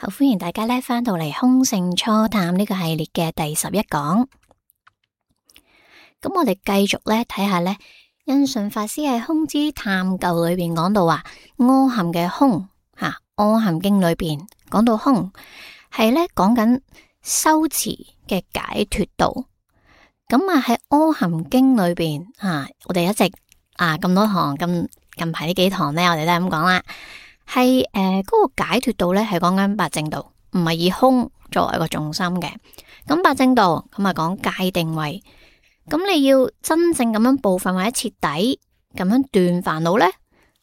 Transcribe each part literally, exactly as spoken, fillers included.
好，歡迎大家咧翻到嚟空性初探呢個系列嘅第十一講。咁我哋繼續咧睇下咧，印順法師喺《空之探究》裏邊講到話，阿含嘅空吓，阿含經裏邊講到空係咧講緊修持嘅解脫道。咁啊喺阿含經裏邊啊，我哋一直啊咁多堂，咁近排呢幾堂咧，我哋都係咁講啦。係誒，嗰個解脫道咧，係講緊八正道，唔係以空作為一個重心嘅。咁八正道咁啊，講界定位。咁你要真正咁樣部分或者徹底咁樣斷煩惱咧，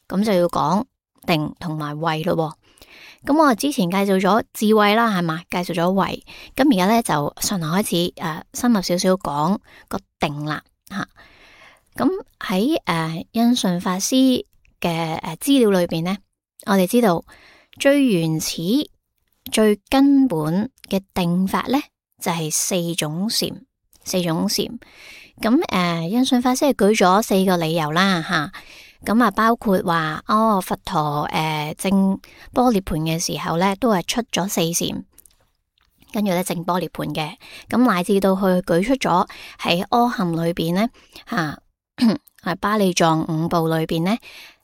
咁就要講定同埋慧咯。咁我之前介紹咗智慧啦，係嘛？介紹咗慧，咁而家咧就順流開始誒、呃，深入少少講個定啦吓。咁喺誒印順法師嘅誒資料裏邊咧。我哋知道最原始、最根本嘅定法咧，就係、是、四種禪，四種禪。咁誒，印順法師係舉咗四個理由啦，吓。咁啊，包括話哦，佛陀誒證般涅槃嘅時候咧，都係出咗四禪，跟住咧證般涅槃嘅。咁乃至到佢舉出咗喺阿含裏邊咧，吓喺巴利藏五部裏邊咧。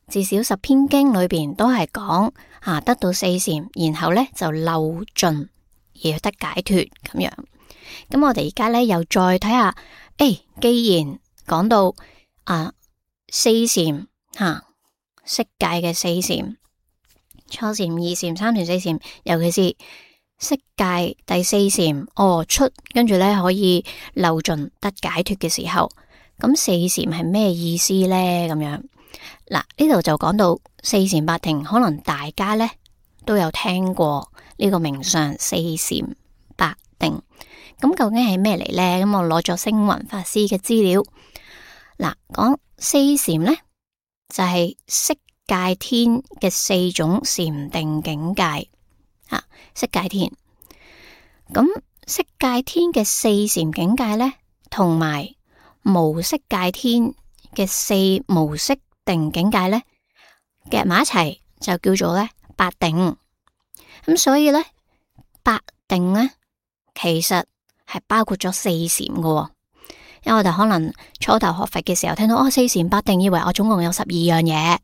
至少十篇經裏邊都係講啊，得到四禪，然後咧就漏盡而得解脫咁樣。咁我哋而家咧又再睇下，誒、哎，既然講到啊四禪吓，色界嘅四禪，初禪、二禪、三禪、四禪，尤其是色界第四禪，哦出，跟住咧可以漏盡得解脫嘅時候，咁四禪係咩意思咧？咁樣。嗱，呢度就講到四禪八定，可能大家咧都有聽過呢個名相四禪八定。咁究竟係咩嚟咧？咁我攞咗星雲法師嘅資料。嗱，講四禪咧就係、是、色界天嘅四種禪定境界啊，色界天。咁色界天嘅四禪境界咧，同埋無色界天嘅四無色定境界咧夾埋一齊就叫做咧八定。咁所以咧八定咧其實係包括咗四禪嘅。因為我哋可能初頭學佛嘅時候聽到哦四禪八定，以為我總共有十二樣嘢，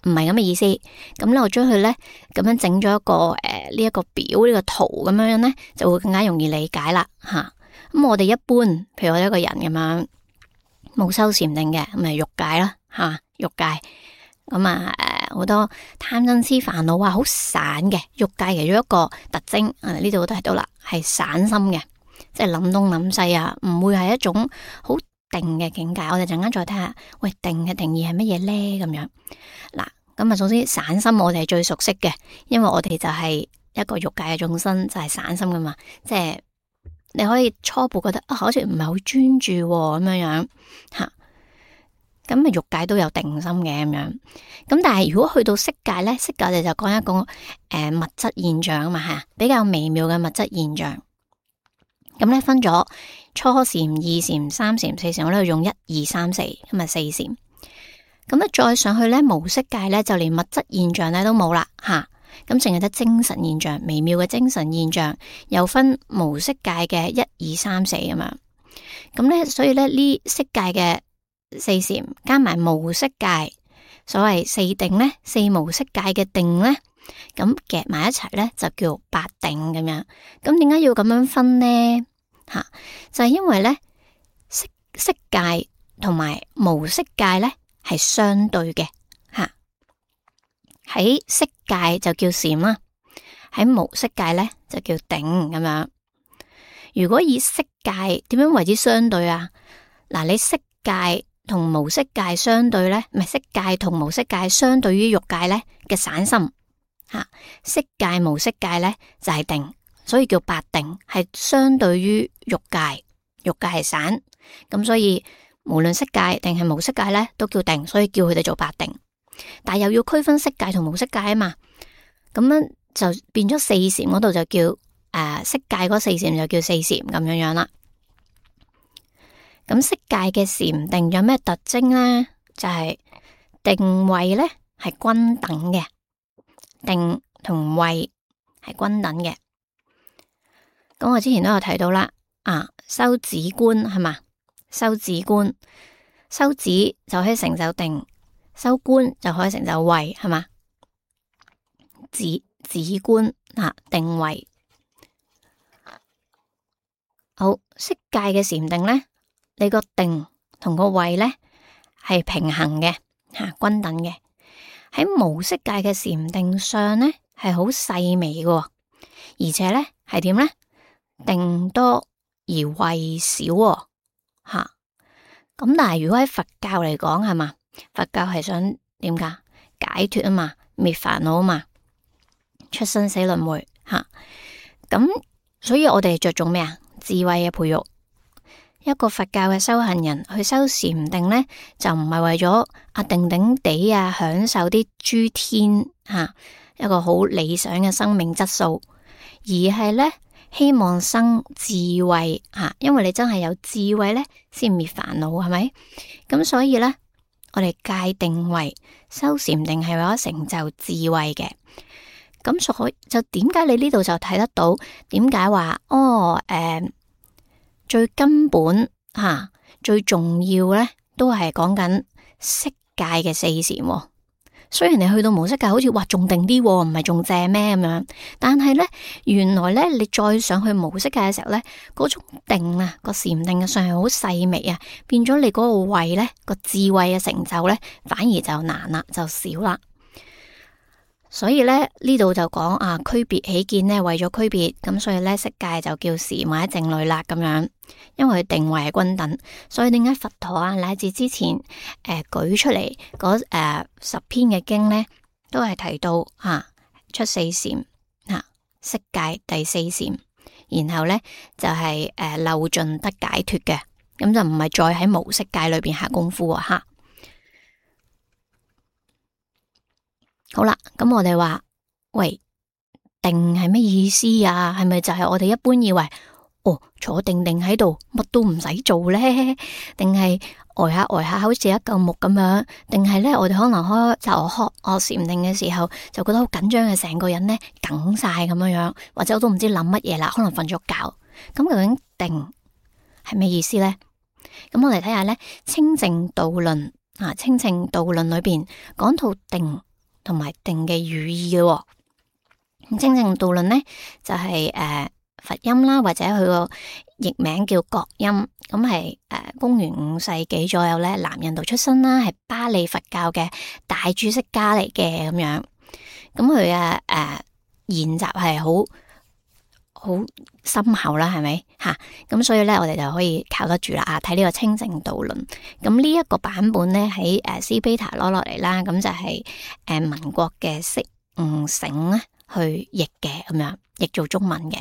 唔係咁嘅意思。咁咧我將佢咧咁樣整咗一個誒呢一個表呢、呢個圖咁樣樣咧，就會更加容易理解啦吓。咁我哋一般譬如我一個人咁樣冇修禪定嘅，咁咪欲界啦吓。欲界咁啊，誒，好多貪嗔癡煩惱啊，好散嘅。欲界其中一個特徵，誒，呢度都提到啦，係散心嘅，即係諗東諗西啊，唔會係一種好定嘅境界。我哋陣間再睇下，喂，定嘅定義係乜嘢咧？咁樣嗱，咁啊，首先散心我哋係最熟悉嘅，因為我哋就係一個欲界嘅眾生，就係散心噶嘛，即係你可以初步覺得啊，好似唔係好專注咁樣樣吓。咁啊，欲界都有定心嘅咁樣，咁但係如果去到色界咧，色界我哋就講一個誒、呃、物質現象啊嘛吓，比較微妙嘅物質現象。咁咧分咗初禪、二禪、三禪、四禪，我咧用一二三四，咁啊四禪。咁咧再上去咧無色界咧，就連物質現象咧都冇啦吓，咁淨係得精神現象，微妙嘅精神現象，又分無色界嘅一二三四咁樣。咁咧所以咧呢色界嘅四禪加埋無色界，所謂四定咧，四無色界嘅定咧，咁夾埋一齊咧就叫八定咁樣。咁點解要咁樣分呢？吓、啊，就係、是、因為咧色色界同埋無色界咧係相對嘅吓。喺、啊、色界就叫禪啦，喺無色界咧就叫定咁樣。如果以色界點樣為之相對啊？嗱，你色界同無色界相對咧，唔係色界同無色界相對於欲界咧嘅散心吓，色界無色界咧就係定，所以叫八定，係相對於欲界，欲界係散，咁所以無論色界定係無色界咧都叫定，所以叫佢哋做八定。但係又要區分色界同無色界啊嘛，咁樣就變咗四禪嗰度就叫誒、呃、色界嗰四禪就叫四禪咁樣樣啦。咁色界嘅禪定有咩特徵咧？就係、是、定慧咧係均等嘅，定同慧係均等嘅。咁我之前都有提到啦，啊，修止觀係嘛？修止觀，修止就可以成就定，修觀就可以成就慧，係嘛？止止觀啊，定慧。好，色界嘅禪定咧，你個定同個慧咧係平衡嘅吓，均等嘅。喺無色界嘅禪定上咧係好細微嘅，而且咧係點咧？定多而慧少吓。咁但係如果喺佛教嚟講係嘛？佛教係想點噶？解脫啊嘛，滅煩惱啊嘛，出生死輪迴吓。咁所以我哋着重咩啊？智慧嘅培育。一個佛教嘅修行人去修禪定咧，就唔係為咗啊定定地啊享受啲諸天吓、啊、一個好理想嘅生命質素，而係咧希望生智慧吓、啊，因為你真係有智慧咧，先滅煩惱係咪？咁所以咧，我哋界定為修禪定係為咗成就智慧嘅。咁所以就點解你呢度就睇得到？點解話哦？誒、呃，最根本吓、啊、最重要咧，都係講緊色界嘅四禪。雖然你去到無色界，好似話仲定啲，唔係仲正咩咁樣？但係咧，原來咧，你再上去無色界嘅時候咧，嗰種定啊，個禪定嘅上係好細微啊，變咗你嗰個慧咧，個智慧嘅成就咧，反而就難啦，就少啦。所以咧，呢度就講啊，區別起見呢，為咗區別，咁所以咧，色界就叫禪或者靜慮啦咁樣，因為佢定位係均等，所以點解佛陀啊乃至之前誒、呃、舉出嚟嗰誒十篇嘅經咧，都係提到啊出四禪啊色界第四禪，然後咧就係、是、誒、呃、漏盡得解脫嘅，咁就唔係再喺無色界裏邊下功夫啊吓。好啦，咁我哋話喂，定係咩意思啊？係咪就係我哋一般以為哦，坐定定喺度乜都唔使做咧？定係呆下呆下好似一嚿木咁樣？定係咧我哋可能開就開我禪定嘅時候就覺得好緊張嘅，成個人咧梗晒咁樣樣，或者我都唔知諗乜嘢啦，可能瞓咗覺。咁究竟定係咩意思咧？咁我哋睇下咧《清淨道論》啊，《清淨道論》裏邊講到定同埋定嘅語義嘅、哦，咁清淨道論咧就係、是、誒、呃、佛音啦，或者佢個譯名叫覺音，咁係誒公元五世紀左右咧，南印度出身啦，係巴利佛教嘅大注釋家嚟嘅咁樣，咁佢嘅誒研習係好好深厚啦，係咪吓？咁、啊、所以咧，我哋就可以靠得住啦。啊，睇呢個清淨道論，咁呢一個版本咧喺誒斯卑塔攞落嚟啦，咁就係誒民國嘅釋悟省咧去譯嘅，咁樣譯做中文嘅。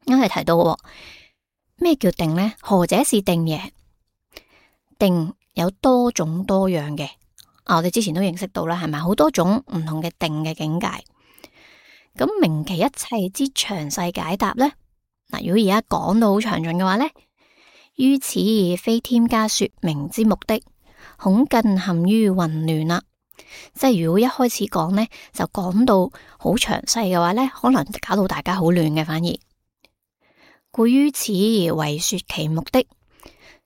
因為提到咩叫定咧？何者是定耶？定有多種多樣嘅，啊，我哋之前都認識到啦，係咪？好多種唔同嘅定嘅境界。咁明其一切之詳細解答咧，嗱，如果而家講到好詳盡嘅話咧，於此非添加說明之目的，恐更陷於混亂啦。即係如果一開始講咧，就講到好詳細嘅話咧，可能搞到大家好亂嘅，反而故於此而為說其目的。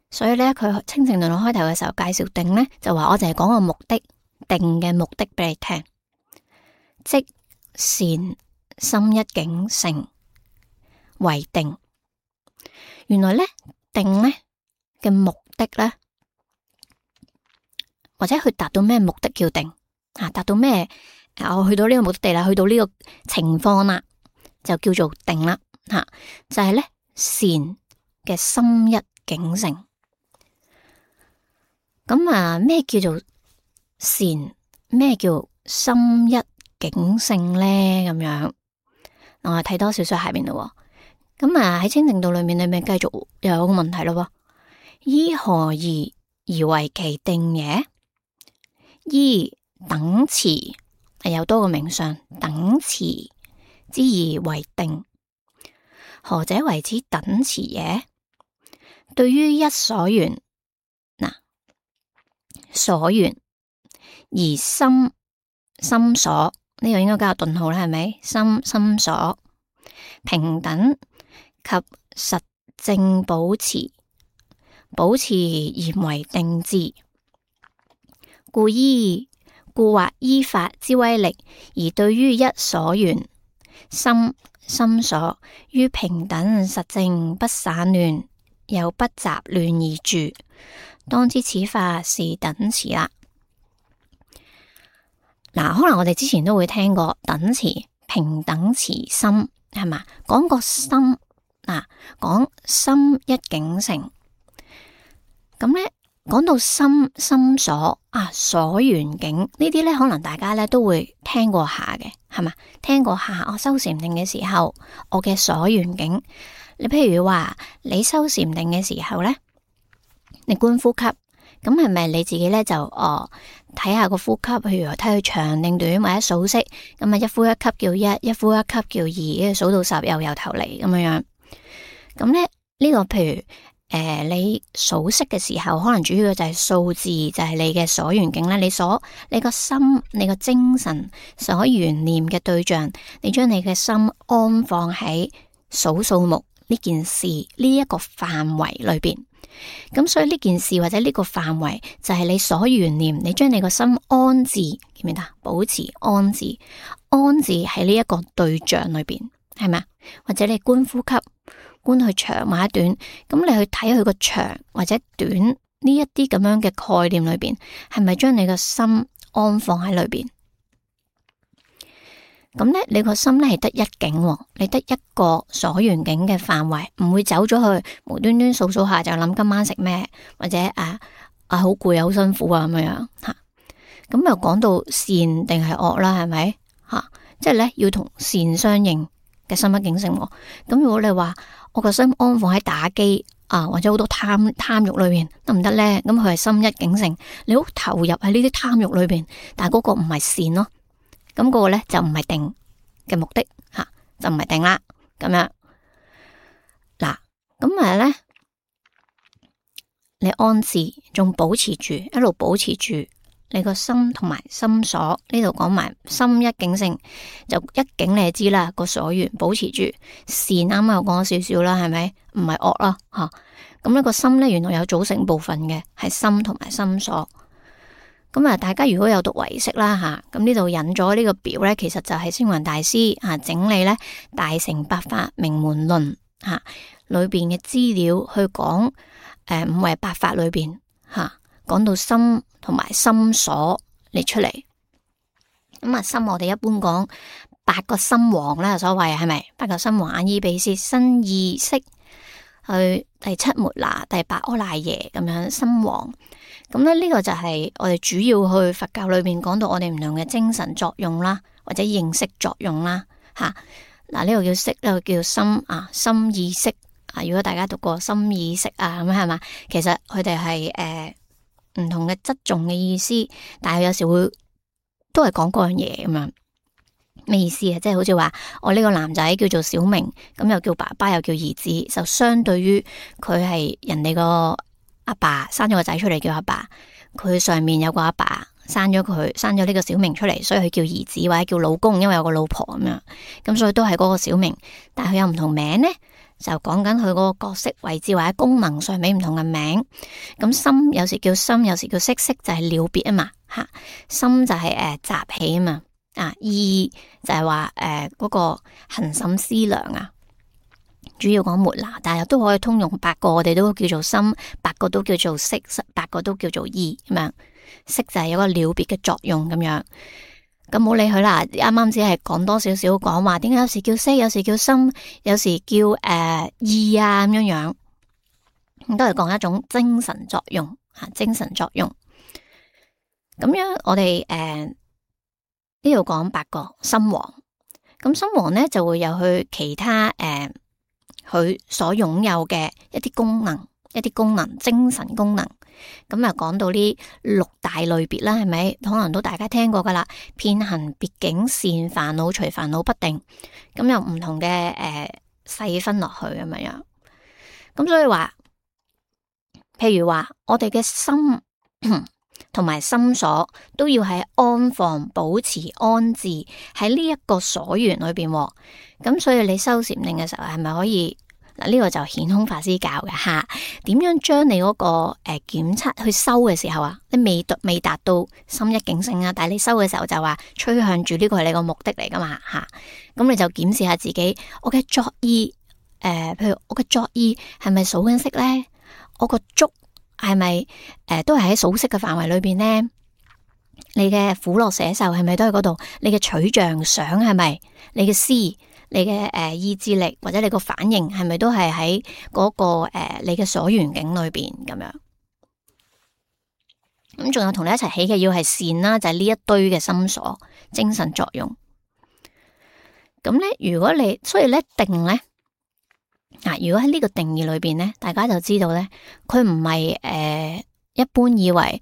所以咧，佢清淨論開頭嘅時候介紹定咧，就話我淨係講個目的，定嘅目的俾你聽，即善心一境成為定。原來咧定咧嘅目的咧，或者佢達到咩目的叫定啊？達到咩？我去到呢個目的地啦，去到呢個情況啦，就叫做定啦。吓、啊，就係、是、咧善嘅心一境成。咁啊，咩叫做善？咩叫心一境性咧？咁樣，我哋睇多少少下邊咯。咁啊喺清淨道裏面，裏面繼續又有個問題咯。依何義而為其定耶？依等持係有多個名相，等持之義為定。何者為之等持耶？對於一所緣，嗱，所緣而心心所呢個應該加個頓號啦，係咪？心心所平等及實正保持，保持嚴為定志，故依故或依法之威力，而對於一所緣心心所於平等實正不散亂，又不雜亂而住，當知此法是等持啦。嗱，可能我哋之前都會聽過等持、平等持心，係嘛？講個心，嗱，講心一境成。咁咧，講到心心所啊，所緣境呢啲咧，可能大家咧都會聽過下嘅，係嘛？聽過下，我修禪定嘅時候，我嘅所緣境。你譬如話，你修禪定嘅時候咧，你觀呼吸。咁係咪你自己咧就哦睇下個呼吸，譬如睇佢長定短或者數息，咁啊一呼一吸叫一，一呼一吸叫二，數到十又由頭嚟咁樣樣。咁咧呢個譬如誒、呃、你數息嘅時候，可能主要就係數字，就係、是、你嘅所緣境咧。你所你個心，你個精神所緣念嘅對象，你將你嘅心安放喺數數目呢件事呢一個範圍裏邊。咁所以呢件事或者呢個範圍就係你所緣念，你將你個心安置，記唔記得？保持安置，安置喺呢一個對象裏邊，係咪啊？或者你觀呼吸，觀佢長或者短，咁你去睇佢個長或者短呢一啲咁樣嘅概念裏邊，係咪將你個心安放喺裏邊？咁咧，你個心咧係得一境，你得一個所緣境嘅範圍，唔會走咗去無端端數數下就諗今晚食咩，或者啊啊好攰啊，好辛苦啊咁樣吓。咁又講到善定係惡啦，係咪吓？即係咧要同善相應嘅心一境成。咁如果你話我個心安放喺打機啊，或者好多貪貪欲裏邊得唔得咧？咁佢係心一境成，你好投入喺呢啲貪欲裏邊，但係嗰個唔係善咯。咁嗰個咧就唔係定嘅目的吓、啊，就唔係定啦。咁樣嗱，咁咪咧，你安置仲保持住，一路保持住你個心同埋心所。呢度講埋心一境性，就一境你就知啦。個所緣保持住善，啱啱又講咗少少啦，係咪？唔係惡啦吓。咁、啊、呢個心咧，原來有組成部分嘅，係心同埋心所。咁啊，大家如果有讀唯識啦吓，咁呢度引咗呢個表咧，其實就係星雲大師啊整理咧大乘八法名門論吓裏邊嘅資料去講誒五位八法裏邊吓講到心同埋心所列出嚟。咁啊，心我哋一般講八個心王啦，所謂係咪？八個心王：眼耳鼻舌身意識，去第七末那，第八阿賴耶咁樣心王。咁咧呢個就係我哋主要去佛教裏面講到我哋唔同嘅精神作用啦，或者認識作用啦，吓嗱呢個叫識，呢個叫心啊，心意識啊。如果大家讀過心意識啊，咁係嘛，其實佢哋係誒唔同嘅側重嘅意思，但係有時會都係講嗰樣嘢咁樣。咩意思啊？即係好似話我呢個男仔叫做小明，咁又叫爸爸又叫兒子，就相對於佢係人哋個阿爸生咗個仔出嚟叫阿爸，佢上面有個阿爸生咗佢，生咗呢個小明出嚟，所以佢叫兒子或者叫老公，因為有個老婆咁樣，咁所以都係嗰個小明，但係佢有唔同名呢，就講緊佢嗰個角色位置或者功能上面唔同嘅名。咁心有時叫心，有時叫識，識就係了別啊嘛，吓心就係誒集起啊嘛，啊意就係話誒嗰個恆審思量啊。主要講末那，但係都可以通用八個，我哋都叫做心，八個都叫做識，八個都叫做意咁樣。識就係有個了別嘅作用咁樣。咁冇理佢啦，啱啱只係講多少少講話，點解有時叫識，有時叫心，有時叫誒、呃、意啊咁樣樣，都係講一種精神作用吓，精神作用。咁樣我哋誒呢度講八個心王，咁心王咧就會有佢其他誒。呃佢所擁有嘅一啲功能，一啲功能，精神功能，咁啊講到呢六大類別啦，係咪？可能都大家聽過噶啦，遍行別境善煩惱隨煩惱不定，咁有唔同嘅誒細分落去咁樣樣。咁所以話，譬如話我哋嘅心同埋心所都要喺安放、保持安置喺呢一個所緣裏邊。咁所以你修禪定嘅時候係咪可以嗱？呢個就顯空法師教嘅吓，點樣將你嗰個誒檢測去修嘅時候啊，你未達未達到心一境性啊，但係你修嘅時候就話趨向住呢個係你個目的嚟噶嘛吓，咁你就檢視下自己，我嘅作意誒，譬如我嘅作意係咪數緊息咧？我個觸係咪誒都係喺數息嘅範圍裏邊咧？你嘅苦樂捨受係咪都喺嗰度？你嘅取像想係咪？你嘅思，你嘅誒、呃、意志力或者你個反應係咪都係喺嗰個誒、呃、你嘅所緣境裏邊咁樣？咁仲有同你一齊起嘅要係善啦，就係、是、呢一堆嘅心所精神作用。咁咧，如果你所以咧定咧。嗱，如果喺呢個定義裏邊咧，大家就知道咧，佢唔係誒一般以為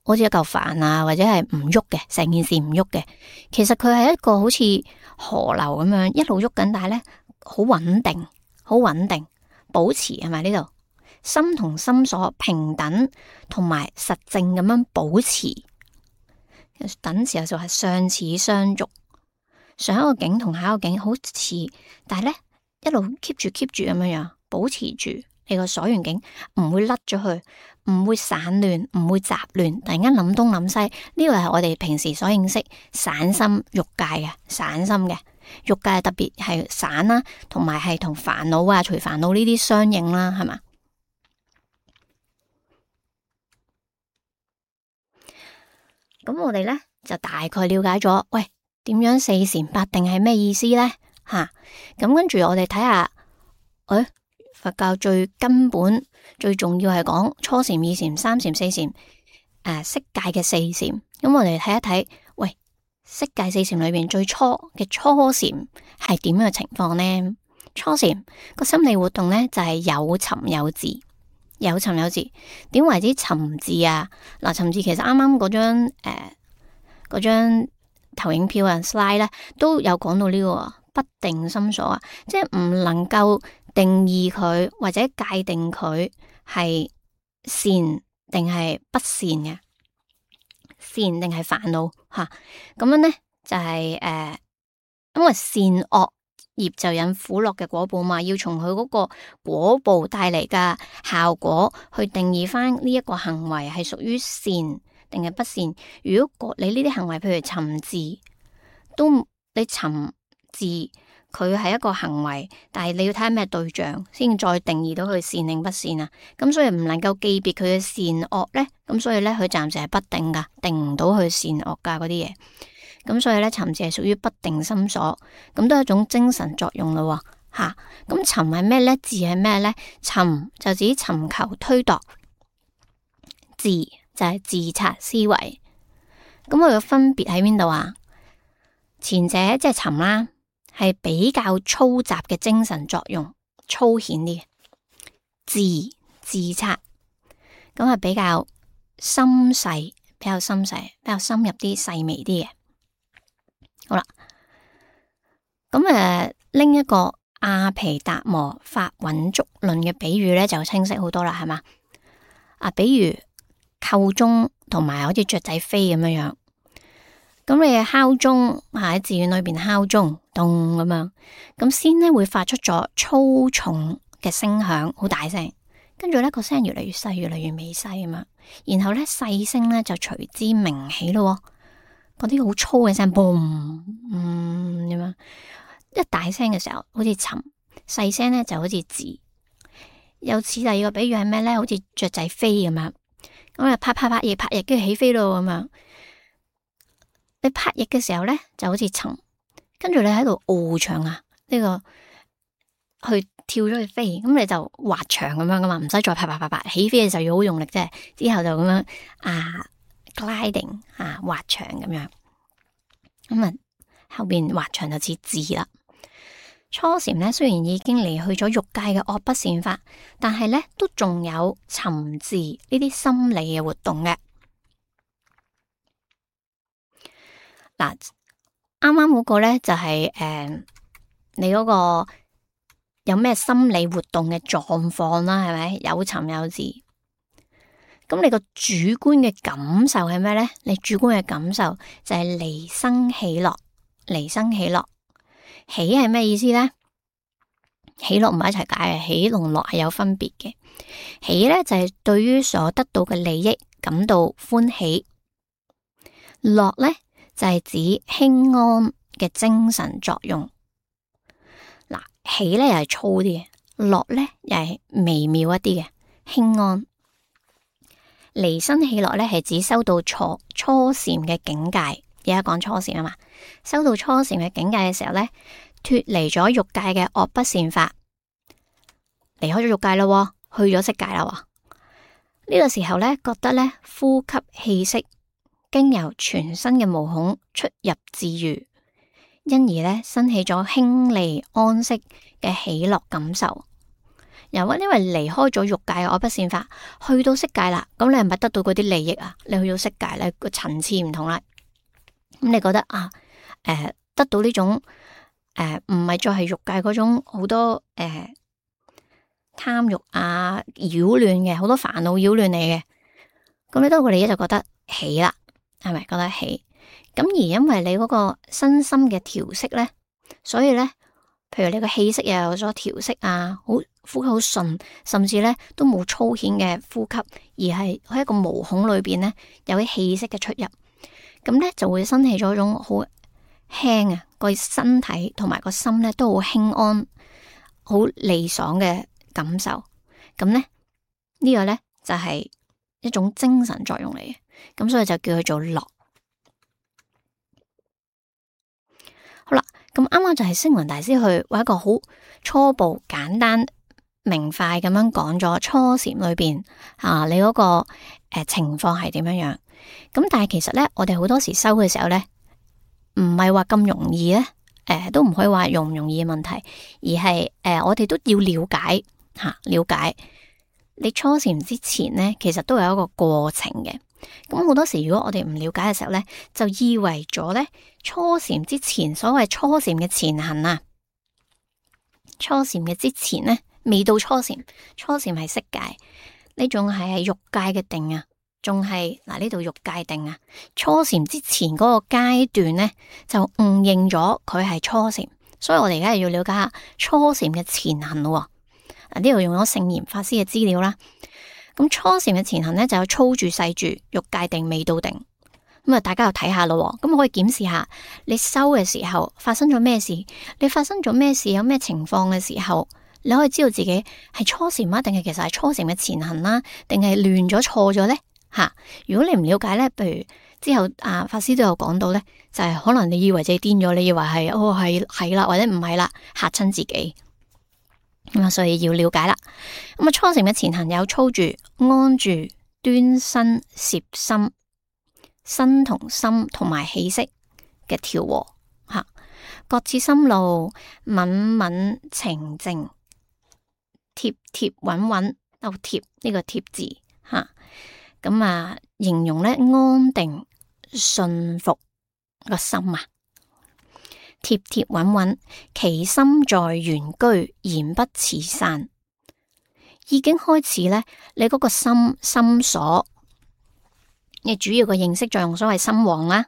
好似一嚿飯啊，或者係唔喐嘅，成件事唔喐嘅。其實佢係一個好似河流咁樣一路喐緊，但係咧好穩定，好穩定，保持係咪呢度心同心所平等同埋實證咁樣保持。等時候就係相似相續，上一個境同下一個境好似，但係咧。一路 keep 住 keep 住咁樣樣，保持住你個所緣境，唔會甩咗去，唔會散亂，唔會雜亂。突然間諗東諗西，呢個係我哋平時所認識散心欲界嘅散心嘅欲界，特別係散啦，同埋係同煩惱啊、隨煩惱呢啲相應啦，係嘛？咁我哋咧就大概了解咗，喂，點樣四禪八定係咩意思咧？吓，咁跟住我哋睇下，誒、哎，佛教最根本、最重要係講初禪、二禪、三禪、四禪，誒、呃，色界嘅四禪。咁我哋睇一睇，喂，色界四禪裏邊最初嘅初禪係點樣嘅情況呢？初禪個心理活動咧就係、是、有尋有伺，有尋有伺。點為之尋伺啊？嗱，尋伺其實啱啱嗰張誒嗰張投影票啊 slide 咧都有講到呢、這個。不定心所啊，即係唔能夠定義佢或者界定佢係善定係不善嘅，善定係煩惱吓，咁樣咧就係、是、誒、呃，因為善惡業就引苦樂嘅果報嘛，要從佢嗰個果報帶嚟嘅效果去定義翻呢一個行為係屬於善定係不善。如果你呢啲行為，譬如尋伺，都你尋。伺佢係一個行為，但係你要睇下咩對象，先再定義到佢善定不善啊。咁所以唔能夠記別佢嘅善惡咧，咁所以咧佢暫時係不定噶，定唔到佢善惡噶嗰啲嘢。咁所以咧尋伺係屬於不定心所，咁都係一種精神作用咯。吓，咁尋係咩咧？伺係咩咧？尋就指尋求推度，伺就係自察思維。咁佢嘅分別喺邊度啊？前者即係尋啦。係比較粗雜嘅精神作用，粗顯啲嘅自自察，咁係比較深細，比較深細，比較深入啲、細微啲嘅。好啦，咁誒，拎一個阿毗達摩法蘊足論嘅比喻咧，就清晰好多啦，係嘛？啊，比如扣鐘同埋好似雀仔飛咁樣樣。咁你敲鐘喺寺院裏邊敲鐘，咚咁樣，咁先咧會發出咗粗重嘅聲響，好大聲，跟住咧個聲越嚟越細，越嚟越微細咁樣，然後咧細聲咧就隨之鳴起咯，嗰啲好粗嘅聲，嘣，嗯咁樣，一大聲嘅時候好似尋，細聲咧就好似伺。有似第二個比喻係咩咧？好似雀仔飛咁樣，咁啊拍拍拍翼拍翼，跟住起飛咯咁樣。你拍翼嘅時候咧，就好似尋，跟住你喺度翱翔啊，呢、這個去跳咗去飛，咁你就滑翔咁樣噶嘛，唔使再拍拍拍拍，起飛嘅時候要好用力啫，之後就咁樣啊 gliding 啊滑翔咁樣，咁啊後邊滑翔就似伺啦。初禪咧雖然已經離去咗欲界嘅惡不善法，但係咧都仲有尋伺呢啲心理嘅活動嘅。嗱，啱啱嗰個咧就係、是、誒、呃，你嗰個有咩心理活動嘅狀況啦，係咪有尋有伺？咁你個主觀嘅感受係咩咧？你主觀嘅感受就係離生喜樂，離生喜樂。喜係咩意思咧？喜樂唔係一齊解嘅，喜同樂係有分別嘅。喜咧就係對於所得到嘅利益感到歡喜，樂咧就係指輕安嘅精神作用。嗱，喜咧又係粗啲嘅，樂咧又係微妙一啲嘅輕安。離生喜樂咧係指修到初初禪嘅境界，而家講初禪啊嘛，修到初禪嘅境界嘅時候咧，脫離咗欲界嘅惡不善法，離開咗欲界啦，去咗色界啦。呢個時候咧，覺得咧呼吸氣息經由全身嘅毛孔出入自如，因而咧生起咗輕利安息嘅喜樂感受。又因為離開咗欲界嘅惡不善法，去到色界啦，咁你係咪得到嗰啲利益啊？你去到色界咧，個層次唔同啦。咁你覺得啊，誒、呃，得到呢種誒，唔係再係欲界嗰種好多誒貪欲啊擾亂嘅，好多煩惱擾亂你嘅，咁你得到個利益就覺得喜啦，係咪覺得喜？咁而因為你嗰個身心嘅調息咧，所以咧，譬如你個氣息又有所調息啊，好呼吸好順，甚至咧都冇粗顯嘅呼吸，而係喺一個毛孔裏邊咧有啲氣息嘅出入，咁咧就會生起咗一種好輕啊，個身體同埋個心咧都好輕安、好利爽嘅感受。咁咧呢個咧就係一種精神作用嚟嘅，咁所以就叫佢做樂。好啦，咁啱啱就係星雲大師去為一個好初步、簡單、明快咁樣講咗初禪裏邊啊，你嗰、嗰個誒、呃、情況係點樣樣？咁但係其實咧，我哋好多時修嘅時候咧，唔係話咁容易咧，誒、呃、都唔可以話容唔容易嘅問題，而係誒、呃、我哋都要了解吓、啊，了解你初禪之前咧，其實都有一個過程嘅。咁好多時，如果我哋唔了解嘅時候咧，就以為咗咧初禪之前，所謂初禪嘅前行啊，初禪嘅之前咧，未到初禪，初禪係色界，呢種係係欲界嘅定啊，仲係嗱呢度欲界定啊。初禪之前嗰個階段咧，就誤認咗佢係初禪，所以我哋而家要了解下初禪嘅前行咯。嗱，呢度用咗聖嚴法師嘅資料啦。咁初禪嘅前行咧，就有粗住、細住、欲界定、未到定。咁啊，大家又睇下咯。咁可以檢視下你修嘅時候發生咗咩事，你發生咗咩事，有咩情況嘅時候，你可以知道自己係初禪啊，定係其實係初禪嘅前行啦，定係亂咗錯咗咧？吓，如果你唔了解咧，譬如之後啊法師都有講到咧，就係、是、可能你以為自己癲咗，你以為係哦係係啦，或者唔係啦，嚇親自己。咁啊，所以要了解啦。咁啊，初禪嘅前行有粗住、安住、端身、攝心、身同心同埋氣息嘅調和吓，各自心路敏敏澄靜，貼貼穩穩，都貼呢個貼字吓。咁啊，形容咧安定順服個心啊。貼貼穩穩，其心在原居，言不辭散。已經開始咧，你嗰個心心所，你主要嘅認識作用，所謂心王啦，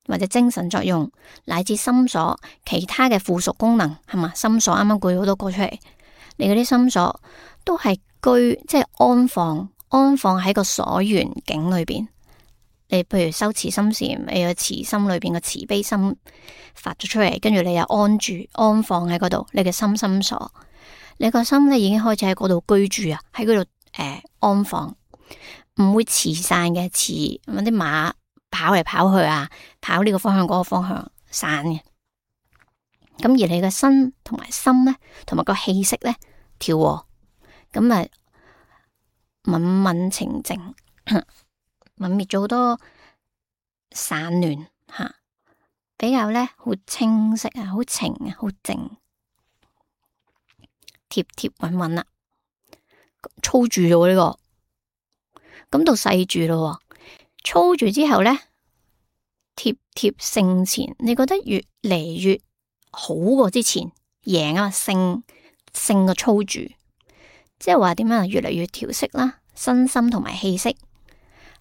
或者精神作用，乃至心所其他嘅附屬功能，係嘛？心所啱啱舉好多個出嚟，你嗰啲心所都係居，即係安放，安放喺個所緣境裏邊。你譬如修慈心禪，你個慈心裏邊個慈悲心發咗出嚟，跟住你又安住安放喺嗰度，你嘅心心所，你個心咧已經開始喺嗰度居住啊，喺嗰度誒安放，唔會辭散嘅，辭咁啲馬跑嚟跑去啊，跑呢個方向嗰個方向散嘅。咁而你嘅身同埋心咧，同埋個氣息咧調和，咁啊敏敏澄靜。泯滅咗好多散亂吓，比較咧好清晰啊，好靜啊，好靜，貼貼穩穩啦，粗住咗呢個，咁到細住咯，粗住之後咧，貼貼勝前，你覺得越嚟越好過之前，贏啊，勝勝個粗住，即係話點樣啊？越嚟越調息啦，身心同埋氣息。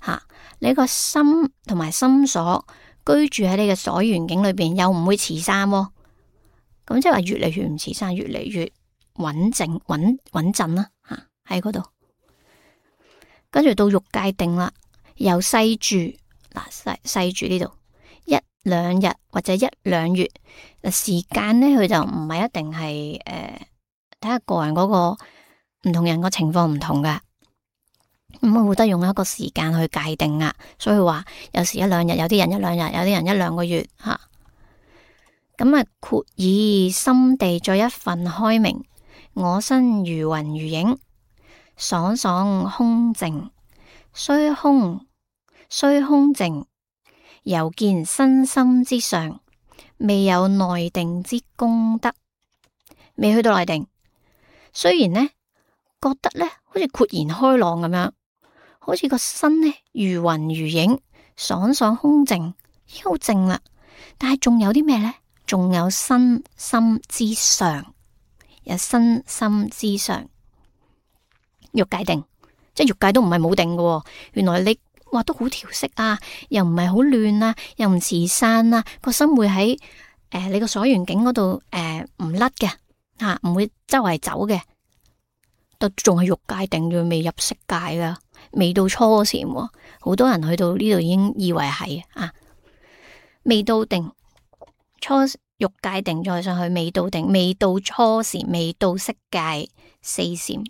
吓、啊，你個心同埋心所居住喺你嘅所緣境裏邊，又唔會持散、哦，咁即係話越嚟越唔持散，越嚟越穩靜穩穩陣啦。吓，喺嗰度，跟住到欲界定啦，由細住嗱細細住呢度一兩日或者一兩月，嗱時間咧佢就唔係一定係誒，睇、呃、下個人嗰、嗰個唔同人個情況唔同噶。咁我會得用一個時間去界定啊，所以話有時一兩日，有啲人一兩日，有啲人一兩個月吓。咁啊，括以心地再一分開明，我身如雲如影，爽爽空靜，雖空雖空靜，猶見身心之上，未有內定之功德，未去到內定。雖然呢覺得呢好似豁然開朗咁樣。好似個身呢如雲如影，爽爽空靜，已經好靜啦。但係仲有啲咩呢？仲有身心之上，有身心之上，欲界定，即係欲界都唔係冇定嘅。原來你話都好調適啊，又唔係好亂啊，又唔持散啊，個心會喺誒、呃、你個所緣境嗰度誒唔甩嘅吓，唔會周圍走嘅，都仲係欲界定，仲未入色界噶。未到初禪，好多人去到呢度已經以為係啊，未到定初欲界定再上去，未到定，未到初禪，未到色界四禪。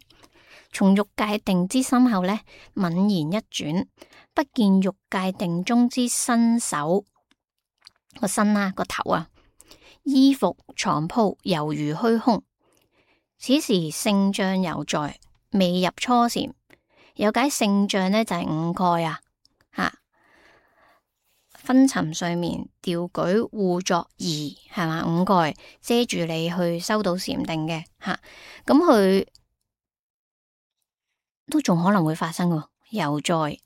從欲界定之心後呢，泯然一轉，不見欲界定中之身手個身啊個頭啊，衣服床鋪猶如虛空。此時性障猶在，未入初禪。有解性障呢，就係、是、五蓋啊，吓昏沉睡眠調舉互作儀係嘛，五蓋遮住你去修到禪定嘅吓，咁佢都仲可能會發生嘅，猶在，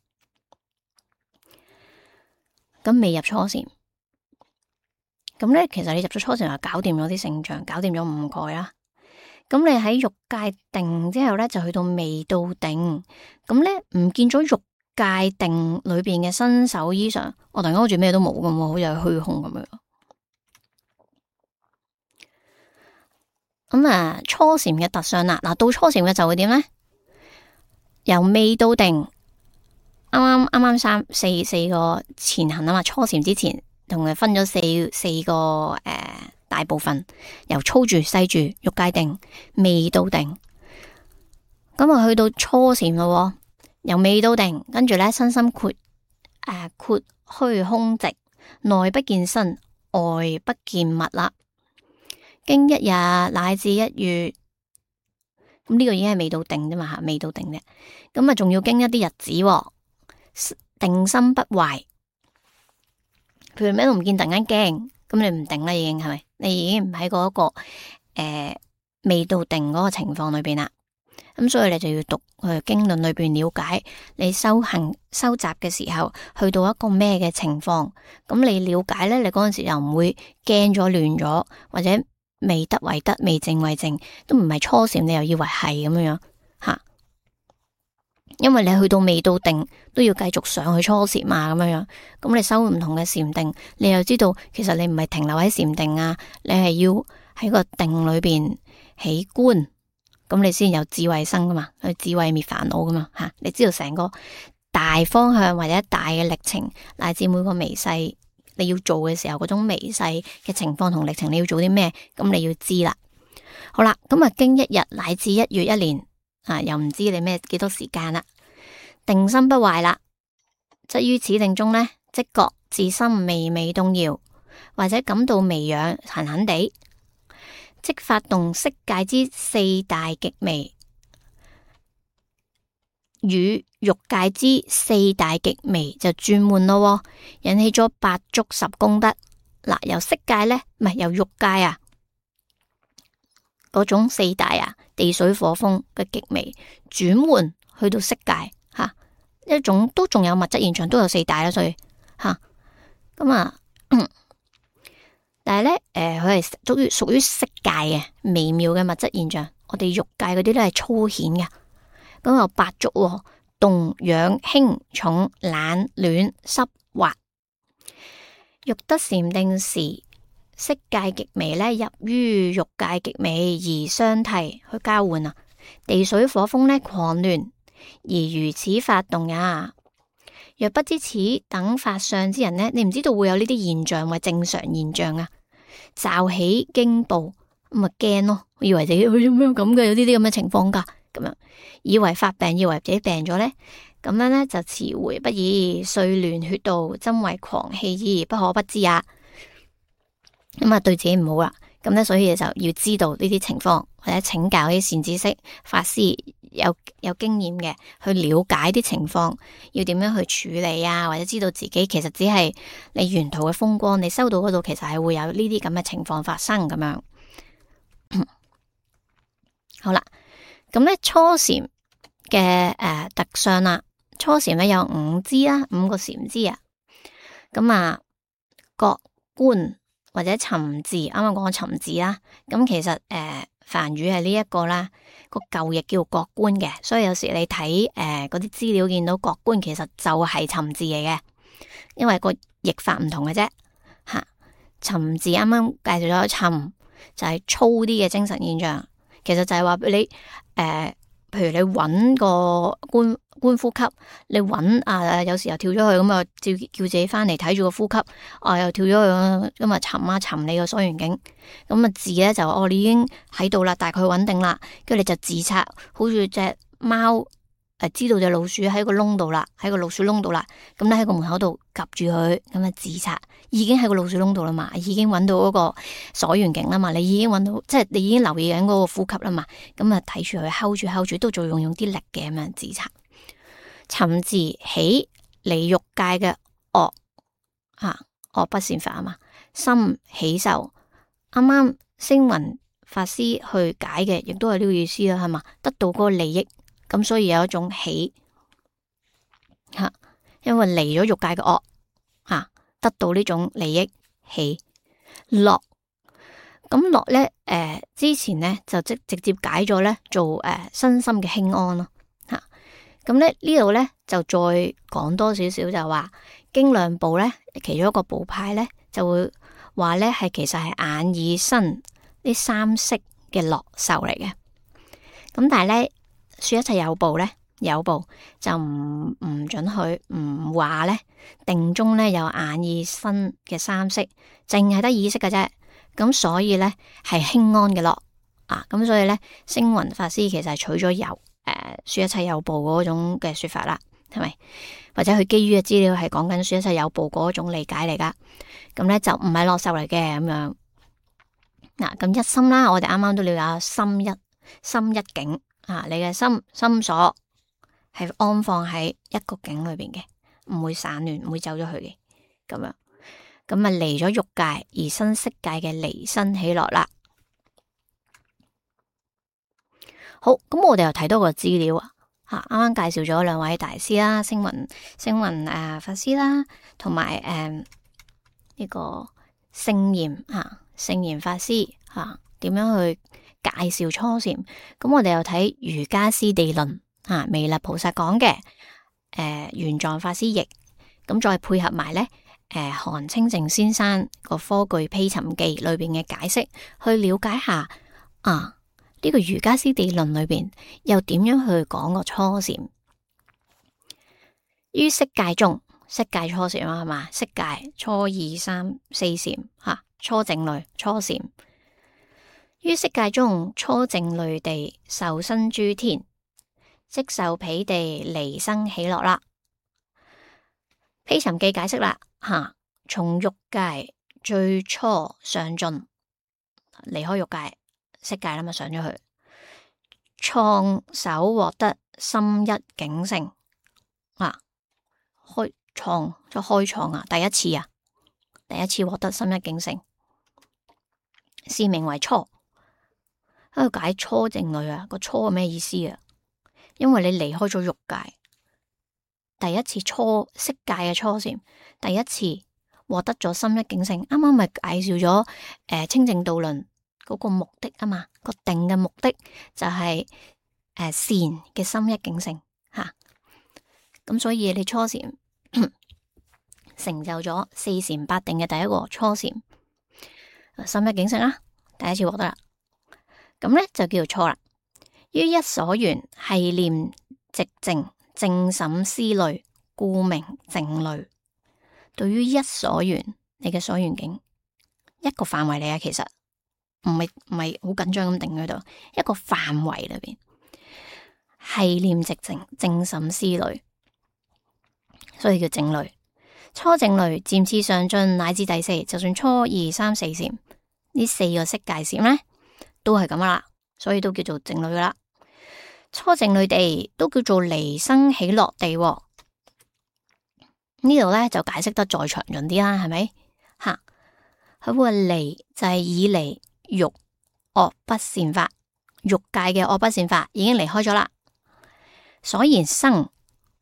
咁未入初禪，咁咧其實你入咗初禪就搞掂咗啲性障，搞掂咗五蓋啦。咁你喺欲界定之後咧，就去到未到定，咁咧唔見咗欲界定裏邊嘅身手衣裳，我突然間好似咩都冇咁，好似係虛空咁樣。咁啊，初禪嘅特相啦，嗱到初禪嘅就會點咧？由未到定，啱啱啱啱三四四個前行啊嘛，初禪之前同佢分咗四四個誒。呃大部分由粗住細住欲界定未到定，咁啊去到初禪咯，由未到定，跟住咧身心豁誒豁虛空寂，內不見身，外不見物啦。經一日乃至一月，咁呢個已經係未到定啫嘛吓，未到定嘅，咁啊仲要經一啲日子，定心不壞。譬如咩都唔見，突然間驚。咁你唔定啦，已經係咪？你已經唔喺嗰個誒未到定嗰個情況裏邊啦。咁所以你就要讀去經論裏邊了解你修行收集嘅時候，去到一個咩嘅情況。咁你了解咧，你嗰陣時又唔會驚咗亂咗，或者未得為得，未正為正，都唔係初禪，你又以為係咁樣樣吓。因為你去到未到定，都要繼續上去初禪嘛，咁樣樣。咁你修唔同嘅禪定，你又知道其實你唔係停留喺禪定啊，你係要喺個定裏邊起觀，咁你先有智慧生噶嘛，去智慧滅煩惱噶嘛吓。你知道成個大方向或者大嘅歷程，乃至每個微細你要做嘅時候嗰種微細嘅情況同歷程，你要做啲咩，咁你要知啦。好啦，咁啊經一日乃至一月一年。啊，又唔知你咩幾多時間啦，定心不壞啦，則於此定中呢，即覺自心微微動搖，或者感到微癢痕痕地，即發動色界之四大極微，與欲界之四大極微就轉換咯，引起咗八觸十功德。嗱，由色界呢，唔係由欲界啊。嗰種四大啊，地水火風嘅極微轉換去到色界吓、啊，一種都仲有物質現象，都有四大啦，所以吓咁啊，嗯、但係咧誒，佢係屬於屬於色界嘅微妙嘅物質現象。我哋欲界嗰啲咧係粗顯嘅，咁有八觸、哦，動、養、輕、重、懶、亂、濕、滑。欲得禪定時，色界極微咧入於欲界極微而相替去交換啊。地水火風咧狂亂而如此發動呀。若不知此等法相之人呢，你唔知道會有呢啲現象或正常現象啊。驟起驚怖，咁咪驚咯，以為自己佢做咩咁嘅，有呢啲咁嘅情況噶，咁樣以為發病，以為自己病咗呢，咁樣呢就遲回不已，遂亂血道，真為狂氣矣，不可不知啊。咁啊，對自己唔好啦。咁咧，所以就要知道呢啲情況，或者請教啲善知識法師有有經驗嘅，去了解啲情況，要點樣去處理啊，或者知道自己其實只係你沿途嘅風光，你收到嗰度其實係會有呢啲咁嘅情況發生咁樣。好啦，咁咧初禪嘅誒特相啦，初禪咧有五支啦，五個禪支啊，咁啊覺觀或者尋伺，啱啱講尋伺啦，咁其實誒、呃、梵語係呢一個啦，個舊譯叫覺觀嘅，所以有時你睇誒嗰啲資料見到覺觀，其實就係尋伺嚟嘅，因為個譯法唔同嘅啫吓。尋伺啱啱介紹咗尋，就係、是、粗啲嘅精神現象，其實就係話你誒。呃譬如你揾個觀觀呼吸，你揾啊，有時候跳咗去咁啊，叫叫自己翻嚟睇住個呼吸，啊又跳咗去咁啊，尋啊尋你個所緣境，咁啊字咧就哦你已經喺度啦，大概穩定啦，跟住你就自察，好似隻貓誒知道隻老鼠喺個窿度啦，喺個老鼠窿度啦，咁咧喺個門口度夾住佢，咁啊自察已經喺個老鼠窿度啦嘛，已經揾到嗰個所緣境啦嘛，你已經揾到，即係你已經留意緊嗰個呼吸啦嘛，咁啊睇住佢，hold 住 hold 住，都仲用用啲力嘅咁樣自察。尋伺起離欲界嘅惡啊惡不善法啊嘛，心喜受，啱啱星雲法師去解嘅，亦都係呢個意思啦，係嘛，得到嗰個利益。咁所以有一種喜吓，因為離咗欲界嘅惡吓，得到呢種利益喜樂。咁樂咧，誒、呃、之前咧就即直接解咗咧做誒、呃、身心嘅輕安咯吓。咁咧呢度咧就再講多少少，就話經量部咧其中一個部派咧就會話咧係其實係眼耳身呢三色嘅樂受嚟嘅。咁但係咧。說一切有部咧，有部就唔唔准許唔話咧定中咧有眼耳身嘅三色，淨係得意識嘅啫。咁所以咧係輕安嘅樂啊。咁所以咧星雲法師其實係取咗有誒、呃、說一切有部嗰種嘅說法啦，係咪？或者佢基於嘅資料係講緊說一切有部嗰種理解嚟噶。咁咧就唔係樂受嚟嘅咁樣。嗱，咁一心啦，我哋啱啱都了解心一心一境。啊！你嘅心心所係安放喺一個境裏邊嘅，唔會散亂，唔會走咗去嘅，咁樣咁啊離咗欲界而生色界嘅離生喜樂啦。好，咁我哋又睇多個資料啊，吓啱啱介紹咗兩位大師啦，星雲星雲誒、呃、法師啦，同埋誒呢個聖嚴吓聖嚴法師吓點、啊、樣去介紹初禪，咁我哋又睇瑜伽師地論啊，彌勒菩薩講嘅，誒、呃、玄奘法師譯，咁再配合埋咧，誒韓清淨先生個《科具披尋記》裏邊嘅解釋，去了解下啊呢、這個瑜伽師地論裏邊又點樣去講個初禪。於色界中，色界初禪啊，係嘛？色界初二三四禪吓，初靜慮初禪。於色界中，初靜慮地受生諸天，即受彼地離生喜樂啦。披尋記解釋啦，吓從欲界最初上進，離開欲界色界啦嘛，上咗去，創首獲得心一境性啊，開創即開創啊，第一次啊，第一次獲得心一境性，是名為初。喺度解初靜慮啊，個初係咩意思啊？因為你離開咗欲界，第一次初色界嘅初禪，第一次獲得咗心一境性。啱啱咪介紹咗誒、呃、清淨道論嗰個目的啊嘛，個定嘅目的就係、是、誒、呃、善嘅心一境性吓。咁所以你初禪成就咗四禪八定嘅第一個初禪，心一境性啦，第一次獲得啦。咁咧就叫做初啦。於一所緣係念寂靜，正審思慮，故名靜慮。對於一所緣，你嘅所緣境一個範圍嚟啊，其實唔係唔係好緊張咁定喺度，一個範圍裏邊係念寂靜，正審思慮，所以叫靜慮。初靜慮漸次上進，乃至第四，就算初二三四禪呢四個色界禪咧，都係咁噶啦，所以都叫做靜慮噶啦。初靜慮地都叫做離生喜樂地，呢度咧就解釋得再詳盡啲啦，係咪？吓，佢話離就係以離欲惡不善法，欲界嘅惡不善法已經離開咗啦。所言生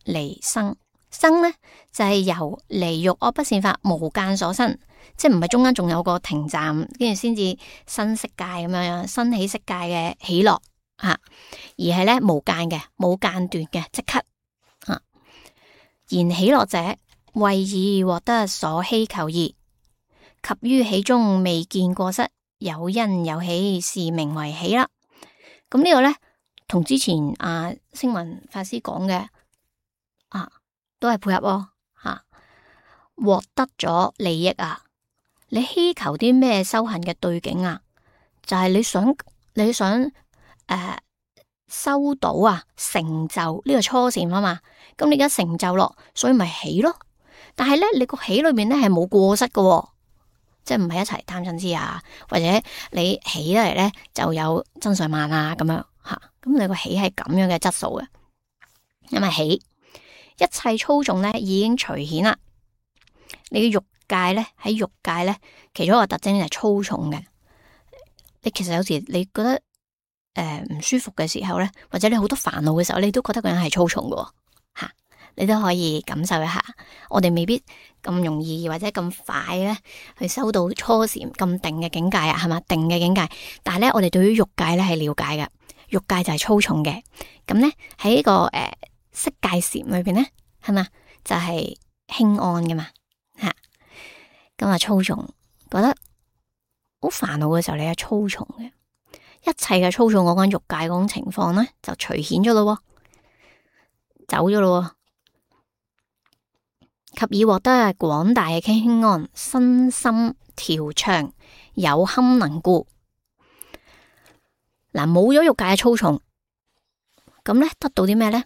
離生，生咧就係、是、由離欲惡不善法無間所生，即係唔係中間仲有個停站，跟住先至生色界咁樣，生起色界嘅喜樂吓，而係咧無間嘅，冇間斷嘅，即刻吓。言喜樂者，為已獲得所希求義，及於喜中未見過失，有因有喜，是名為喜啦。咁呢個咧，同之前阿星雲法師講嘅啊，都係配合喎吓。獲得咗利益啊，你希求啲咩修行嘅對境啊？就係、是、你想你想誒、呃、收到啊，成就呢個初禪啊嘛。咁你而家成就咯，所以咪喜咯。但係咧，你個喜裏面咧係冇過失嘅、哦，即係唔係一齊貪嗔痴啊，或者你喜得嚟咧就有增上慢啊咁樣吓。咁、啊、你個喜係咁樣嘅質素嘅，因為喜一切粗重咧已經除顯啦。你嘅欲界咧喺欲界咧，其中一個特徵係粗重嘅。你其實有時你覺得誒唔、呃、舒服嘅時候咧，或者你好多煩惱嘅時候，你都覺得個人係粗重嘅吓。你都可以感受一下，我哋未必咁容易或者咁快咧去收到初禪咁定嘅境界啊，係嘛？定嘅境界，但係咧我哋對於欲界咧係了解嘅，欲界就係粗重嘅。咁咧喺呢個誒色界禪裏邊咧，係嘛？就係、是、輕安嘅嘛吓。咁啊粗重，覺得好煩惱嘅時候，你係粗重嘅，一切嘅粗重嗰種欲界嗰種情況咧就除顯咗咯，走咗咯。及已獲得廣大嘅輕安，身心調暢，有堪能故。嗱，冇咗欲界嘅粗重，咁咧得到啲咩咧？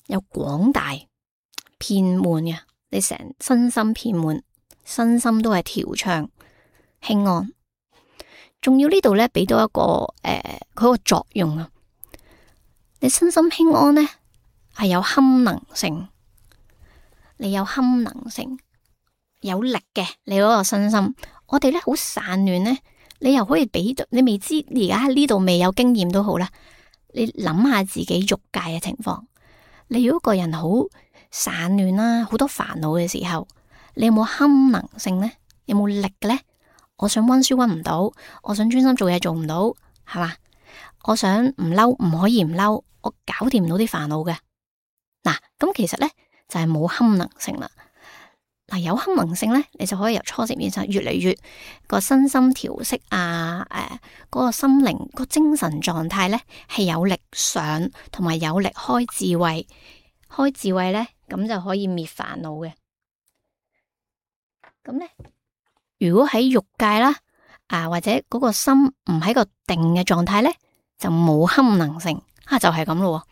有廣大遍滿嘅，你成身心遍滿，身心都係調暢輕安。仲要呢度咧俾到一個誒，佢、呃、個作用啊！你身心輕安咧係有堪能性。你有堪能性，有力嘅，你嗰個身心，我哋咧好散亂咧，你又可以俾到，你未知而家喺呢度未有經驗都好啦。你諗下自己欲界嘅情況，你如果個人好散亂啦，好多煩惱嘅時候，你有冇堪能性咧？有冇力嘅咧？我想溫書溫唔到，我想專心做嘢做唔到，係嘛？我想唔嬲，唔可以唔嬲，我搞掂唔到啲煩惱嘅。嗱，咁其實咧。就係冇堪能性啦。嗱，有堪能性咧，你就可以由初禪變成越嚟越個身心調息啊，誒、呃，嗰、那個心靈、個精神狀態咧係有力上，同埋有力開智慧，開智慧咧咁就可以滅煩惱嘅。咁咧，如果喺欲界啦，啊或者嗰個心唔喺個定嘅狀態咧，就冇堪能性啊，就係咁咯。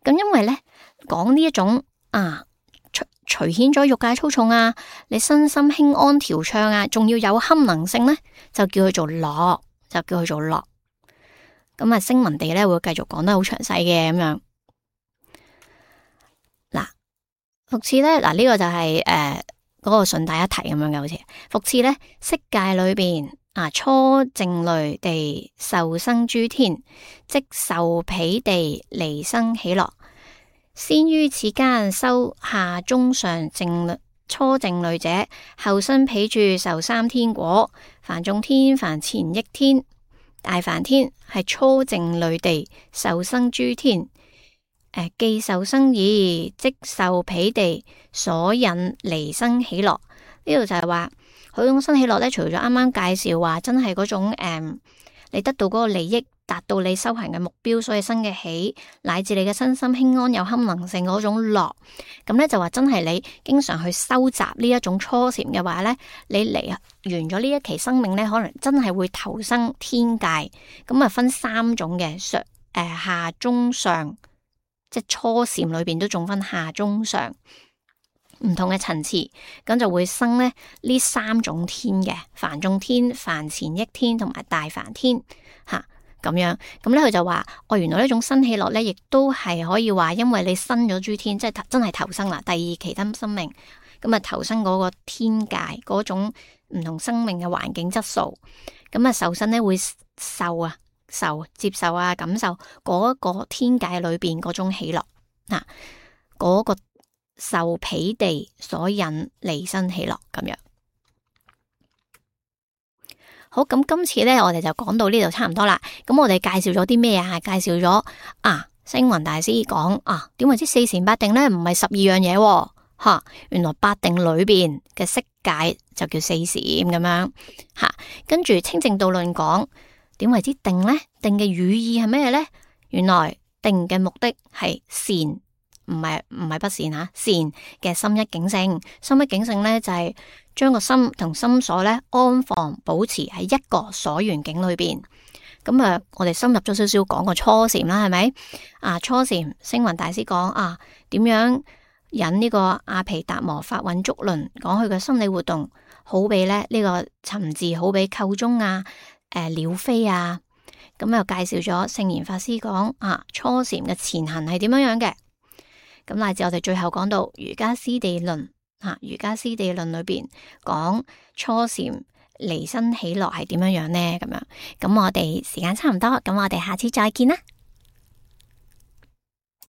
咁因為咧。講呢一種啊，除除顯咗欲界粗重啊，你身心輕安調暢啊，仲要有堪能性咧，就叫佢做樂，就叫佢做樂。咁啊，聲聞地咧會繼續講得好詳細嘅咁樣。嗱，復次咧，嗱、這、呢個就係誒嗰個順帶一提咁樣嘅，好似復次咧，色界裏邊啊，初靜慮地受生諸天，即受彼地離生喜樂。先於此間修下中上靜初靜慮者，後生彼處受三天果。梵眾天、梵前億天、大梵天係初靜慮地受生諸天，誒，既受生意，即受彼地所引離生喜樂。呢度就係話佢種生喜樂咧，除咗啱啱介紹話真係嗰種誒、嗯，你得到嗰個利益，達到你修行嘅目標，所以生嘅喜，乃至你嘅身心輕安有堪能性嗰種樂。咁咧就話真係你經常去修習呢一種初禪嘅話咧，你嚟完咗呢一期生命咧，可能真係會投生天界。咁啊分三種嘅上誒下中上。即係初禪裏邊都仲分下中上唔同嘅層次，咁就會生咧呢三種天嘅梵眾天、梵前億天同埋大梵天吓咁、啊、樣。咁咧佢就話哦，原來呢種生喜樂咧，亦都係可以話，因為你生咗諸天，即係真係投生啦，第二期生生命咁啊，投生嗰個天界嗰種唔同生命嘅環境質素，咁啊受身咧會受啊。受接受啊，感受嗰個天界裏邊嗰種喜樂，嗱、啊，嗰、那個受彼地所引離生喜樂咁樣。好，咁今次咧，我哋就講到呢度差唔多啦。咁我哋介紹咗啲咩啊？介紹咗啊，星雲大師講啊，點為之四禪八定咧？唔係十二樣嘢、啊，吓、啊，原來八定裏邊嘅色界就叫四禪咁樣，吓、啊，跟住清淨道論講。點為之定呢？定嘅語意係咩呢？原來定嘅目的係善，唔係唔係不善吓，善嘅心一境性，心一境性呢，就係將個心同心所咧安放保持喺一個所緣境裏邊。咁啊，我哋深入咗少少講個初禪啦，係咪？啊，初禪，星雲大師講啊，點樣引呢個阿毗達摩法韻足輪，講佢嘅心理活動，好比咧呢個尋伺，好比構中啊。誒，鳥飛啊，咁又介紹咗聖嚴法師講啊，初禪嘅前行係點樣樣嘅，咁乃至我哋最後講到瑜伽師地論啊，瑜伽師地論裏邊講初禪離生喜樂係點樣樣呢？咁樣，咁我哋時間差唔多，咁我哋下次再見啦。